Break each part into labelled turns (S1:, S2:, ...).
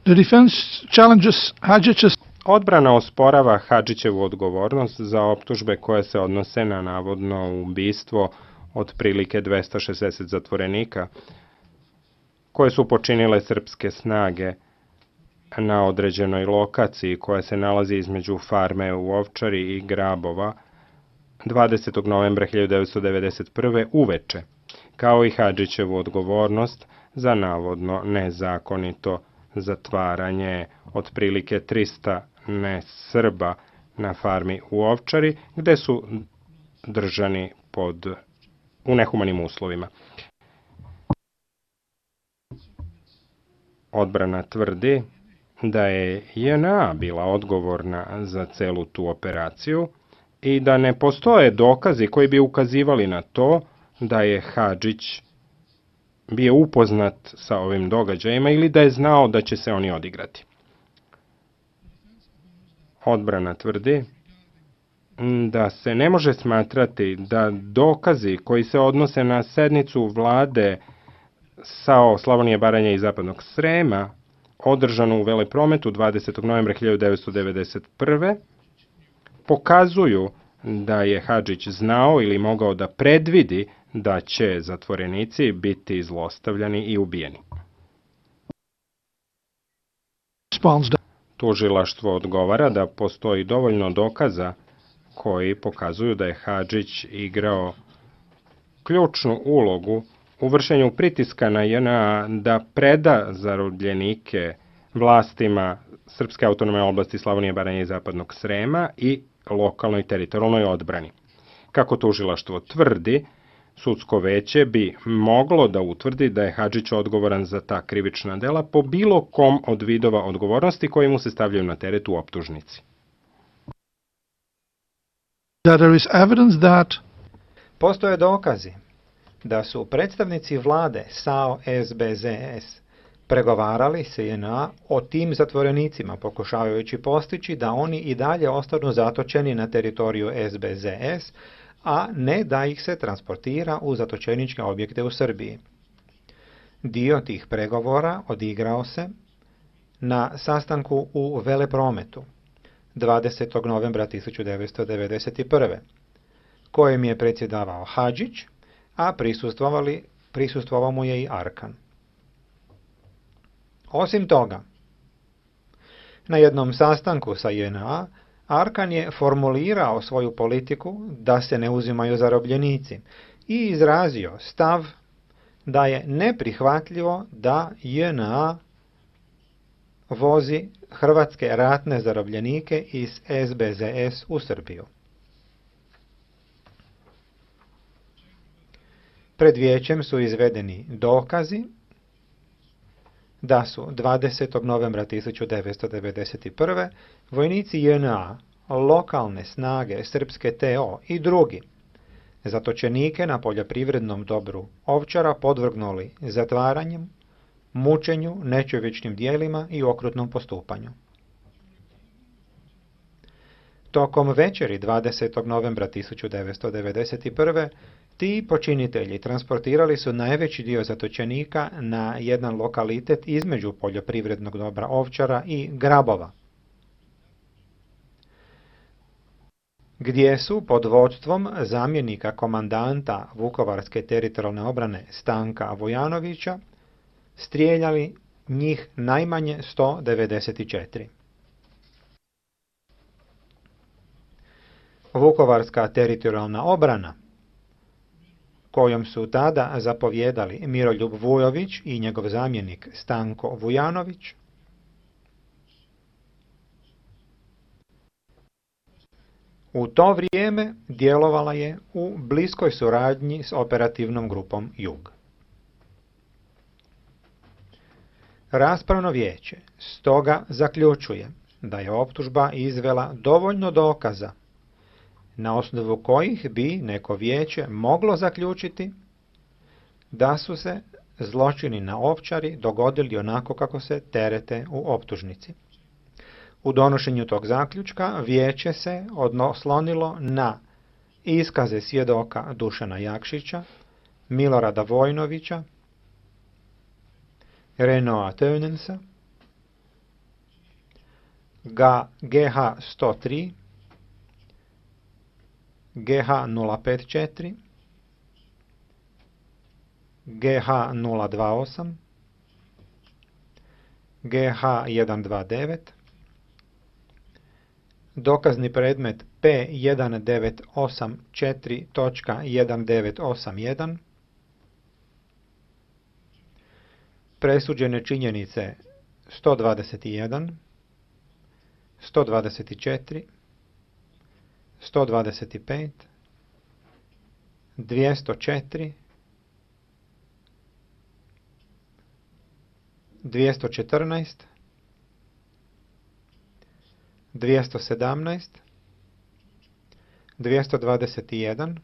S1: The defense challenges Hadžić's.
S2: Odbrana osporava Hadžićevu odgovornost za optužbe koje se odnose na navodno ubistvo otprilike 260 zatvorenika koje su počinile srpske snage na određenoj lokaciji koja se nalazi između farme u Ovčari i Grabova 20. novembra 1991. uveče, kao i Hadžićevu odgovornost za navodno nezakonito zatvaranje otprilike 300 nesrba na farmi u Ovčari, gde su držani u nehumanim uslovima. Odbrana tvrdi da je JNA bila odgovorna za celu tu operaciju i da ne postoje dokazi koji bi ukazivali na to da je Hadžić bio upoznat sa ovim događajima ili da je znao da će se oni odigrati. Odbrana tvrdi da se ne može smatrati da dokazi koji se odnose na sednicu vlade SAO Slavonije, Baranje i Zapadnog Srema, održanu u Veleprometu 20. novembra 1991. pokazuju da je Hadžić znao ili mogao da predvidi da će zatvorenici biti zlostavljani i ubijeni. Tužilaštvo odgovara da postoji dovoljno dokaza koji pokazuju da je Hadžić igrao ključnu ulogu u vršenju pritiska na JNA da preda zarobljenike vlastima Srpske autonomne oblasti Slavonije, Baranje i Zapadnog Srema i lokalnoj teritorijalnoj odbrani. Kako tužilaštvo tvrdi, sudsko veće bi moglo da utvrdi da je Hadžić odgovoran za ta krivična dela po bilo kom od vidova odgovornosti koji mu se stavljaju na teret u optužnici.
S3: Postoje dokazi da su predstavnici vlade SAO SBZS pregovarali se JNA o tim zatvorenicima, pokušavajući postići da oni i dalje ostanu zatočeni na teritoriju SBZS, a ne da ih se transportira u zatočeničke objekte u Srbiji. Dio tih pregovora odigrao se na sastanku u Veleprometu 20. novembra 1991. kojem je predsjedavao Hadžić, a prisustvovao mu je i Arkan. Osim toga, na jednom sastanku sa JNA, Arkan je formulirao svoju politiku da se ne uzimaju zarobljenici i izrazio stav da je neprihvatljivo da JNA vozi hrvatske ratne zarobljenike iz SBZS u Srbiju. Pred vijećem su izvedeni dokazi da su 20. novembra 1991. vojnici JNA, lokalne snage Srpske TO i drugi zatočenike na poljoprivrednom dobru Ovčara podvrgnuli zatvaranjem, mučenju, nečovječnim dijelima i okrutnom postupanju. Tokom večeri 20. novembra 1991. ti počinitelji transportirali su najveći dio zatočenika na jedan lokalitet između poljoprivrednog dobra Ovčara i Grabova, gdje su pod vodstvom zamjenika komandanta Vukovarske teritorijalne obrane Stanka Vujanovića strijeljali njih najmanje 194. Vukovarska teritorijalna obrana, kojom su tada zapovjedali Miroljub Vujović i njegov zamjenik Stanko Vujanović, u to vrijeme djelovala je u bliskoj suradnji s operativnom grupom Jug. Raspravno vijeće stoga zaključuje da je optužba izvela dovoljno dokaza na osnovu kojih bi neko vijeće moglo zaključiti da su se zločini na Ovčari dogodili onako kako se terete u optužnici. U donošenju tog zaključka vijeće se oslonilo na iskaze svjedoka Dušana Jakšića, Milorada Vojnovića, Renoa Tönensa, GH103, GH054, GH028, GH129, dokazni predmet P1984.1981, presuđene činjenice 121, 124, 125, 204, 214, 217, 221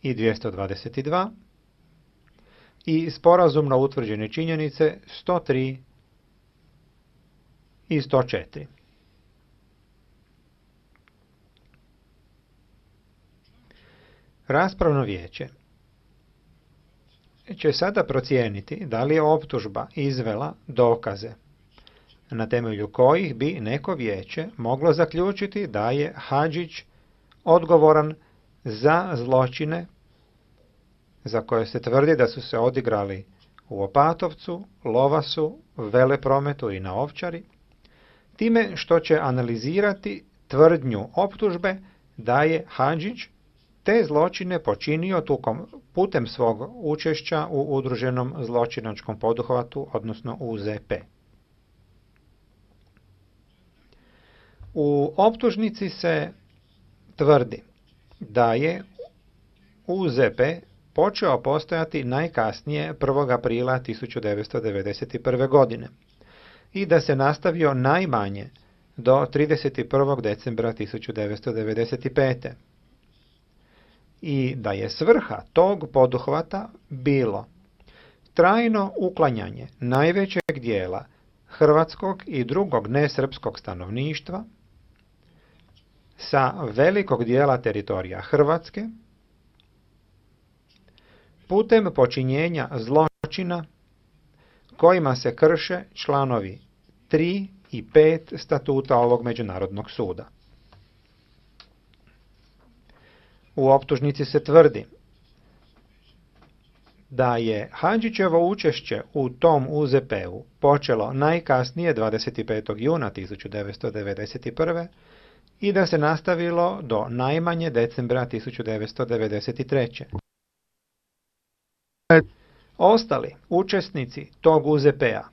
S3: i 222 i sporazumno utvrđene činjenice 103 i 104. Raspravno vijeće će sada procijeniti da li je optužba izvela dokaze na temelju kojih bi neko vijeće moglo zaključiti da je Hadžić odgovoran za zločine za koje se tvrdi da su se odigrali u Opatovcu, Lovasu, Veleprometu i na Ovčari, time što će analizirati tvrdnju optužbe da je Hadžić te zločine počinio putem svog učešća u udruženom zločinačkom poduhvatu, odnosno UZP. U optužnici se tvrdi da je UZP počeo postojati najkasnije 1. aprila 1991. godine i da se nastavio najmanje do 31. decembra 1995. I da je svrha tog poduhvata bilo trajno uklanjanje najvećeg dijela hrvatskog i drugog nesrpskog stanovništva sa velikog dijela teritorija Hrvatske putem počinjenja zločina kojima se krše članovi 3 i 5 statuta ovog međunarodnog suda. U optužnici se tvrdi da je Hadžićevo učešće u tom UZP-u počelo najkasnije 25. juna 1991. i da se nastavilo do najmanje decembra 1993. Ostali učesnici tog UZP-a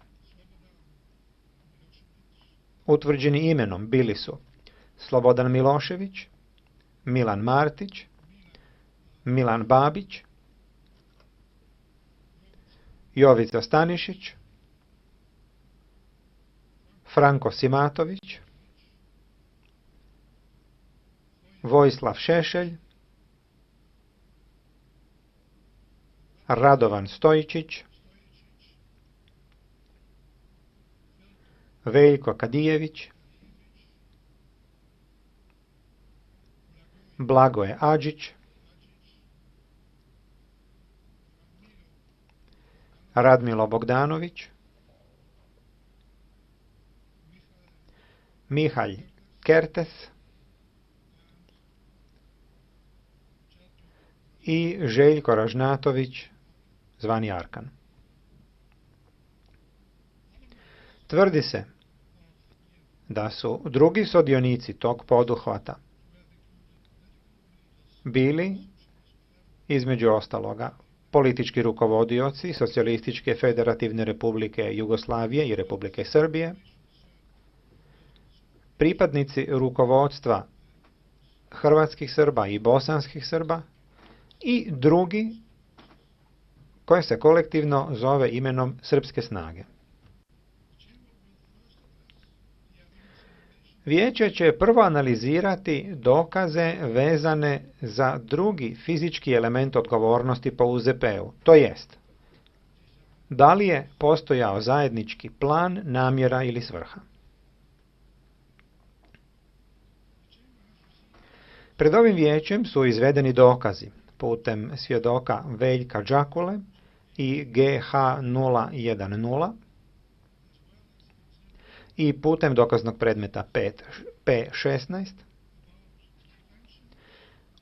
S3: utvrđeni imenom bili su Slobodan Milošević, Milan Martić, Milan Babić, Jovica Stanišić, Franko Simatović, Vojislav Šešelj, Radovan Stojičić, Veljko Kadijević, Blagoje Adžić, Radmilo Bogdanović, Mihalj Kertes i Željko Ražnatović, zvani Arkan. Tvrdi se da su drugi sudionici tog poduhvata bili, između ostaloga, politički rukovodioci Socijalističke federativne republike Jugoslavije i Republike Srbije, pripadnici rukovodstva hrvatskih Srba i bosanskih Srba i drugi koje se kolektivno zove imenom Srpske snage. Vijeće će prvo analizirati dokaze vezane za drugi fizički element odgovornosti po UZP-u, to jest, da li je postojao zajednički plan, namjera ili svrha. Pred ovim vijećem su izvedeni dokazi putem svjedoka Veljka Đakule i GH010 i putem dokaznog predmeta P16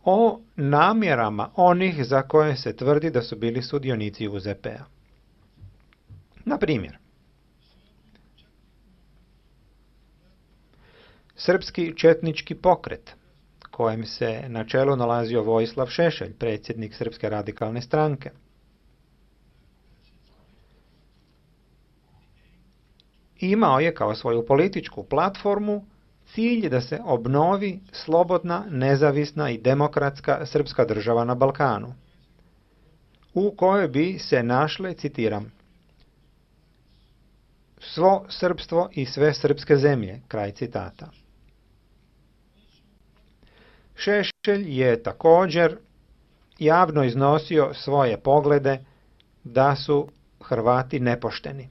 S3: o namjerama onih za koje se tvrdi da su bili sudionici UZP-a. Na primjer, Srpski četnički pokret, kojem se na čelu nalazio Vojislav Šešelj, predsjednik Srpske radikalne stranke, imao je kao svoju političku platformu cilj da se obnovi slobodna, nezavisna i demokratska srpska država na Balkanu, u kojoj bi se našle, citiram, svo srpstvo i sve srpske zemlje, kraj citata. Šešelj je također javno iznosio svoje poglede da su Hrvati nepošteni.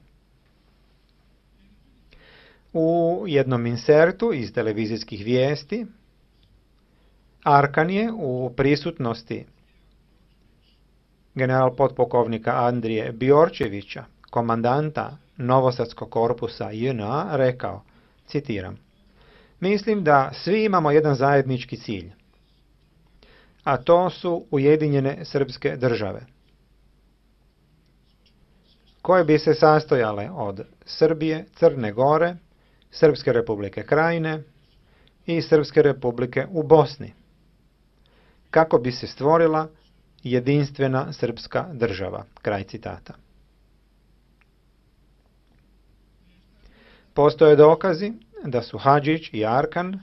S3: U jednom insertu iz televizijskih vijesti Arkan je u prisutnosti general potpukovnika Andrije Bjorčevića, komandanta Novosadskog korpusa JNA, rekao, citiram, mislim da svi imamo jedan zajednički cilj, a to su Ujedinjene srpske države, koje bi se sastojale od Srbije, Crne Gore, Srpske republike Krajine i Srpske republike u Bosni, kako bi se stvorila jedinstvena srpska država, kraj citata. Postoje dokazi da su Hadžić i Arkan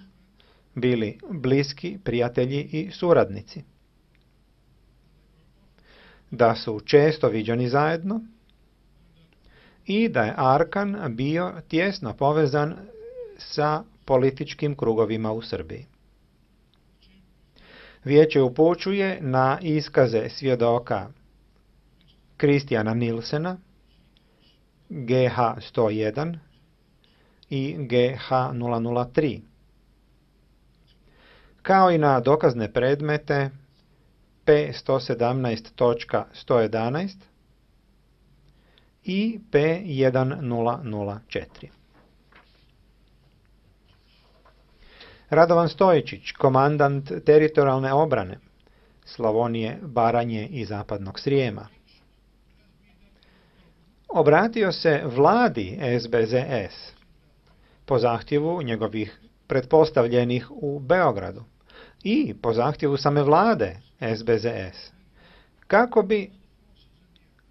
S3: bili bliski prijatelji i suradnici, da su često viđani zajedno i da je Arkan bio tjesno povezan sa političkim krugovima u Srbiji. Vijeće upućuje na iskaze svjedoka Kristijana Nilsena, GH 101 i GH 003, kao i na dokazne predmete P117.111 i P1004. Radovan Stojičić, komandant teritorijalne obrane Slavonije, Baranje i Zapadnog Srijema, obratio se vladi SBZS po zahtjevu njegovih pretpostavljenih u Beogradu i po zahtjevu same vlade SBZS, kako bi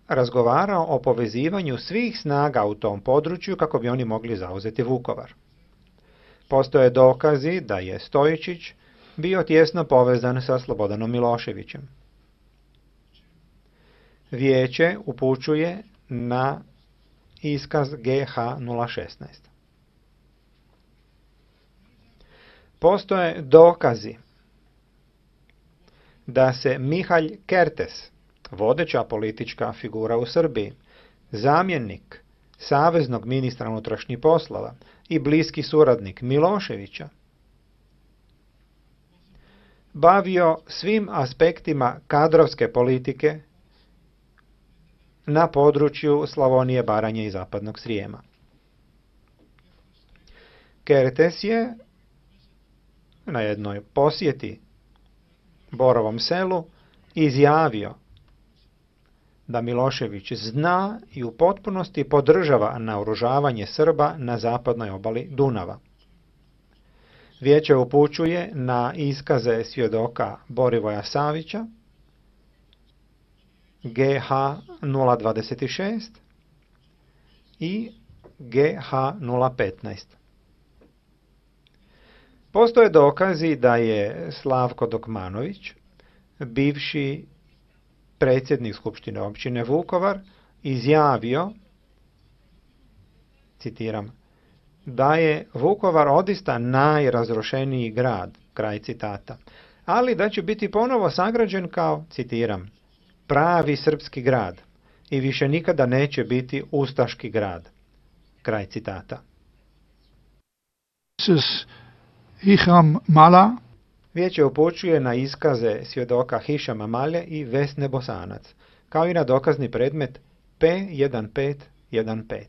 S3: razgovarao o povezivanju svih snaga u tom području kako bi oni mogli zauzeti Vukovar. Postoje dokazi da je Stojičić bio tjesno povezan sa Slobodanom Miloševićem. Vijeće upućuje na iskaz GH 016. Postoje dokazi da se Mihalj Kertes, vodeća politička figura u Srbiji, zamjenik saveznog ministra unutrašnjih poslova i bliski suradnik Miloševića, bavio svim aspektima kadrovske politike na području Slavonije, Baranje i Zapadnog Srijema. Kertes je na jednoj posjeti Borovom selu izjavio da Milošević zna i u potpunosti podržava naoružavanje Srba na zapadnoj obali Dunava. Vijeće upućuje na iskaze svjedoka Borivoja Savića, GH 026 i GH 015. Postoje dokazi da je Slavko Dokmanović, bivši predsjednik Skupštine općine Vukovar, izjavio, citiram, da je Vukovar odista najrazrušeniji grad, kraj citata, ali da će biti ponovo sagrađen kao, citiram, pravi srpski grad i više nikada neće biti ustaški grad, kraj citata.
S1: Hišam Mala.
S3: Vijeće upućuje na iskaze svjedoka Hišama Malje i Vesne Bosanac, kao i na dokazni predmet P1515.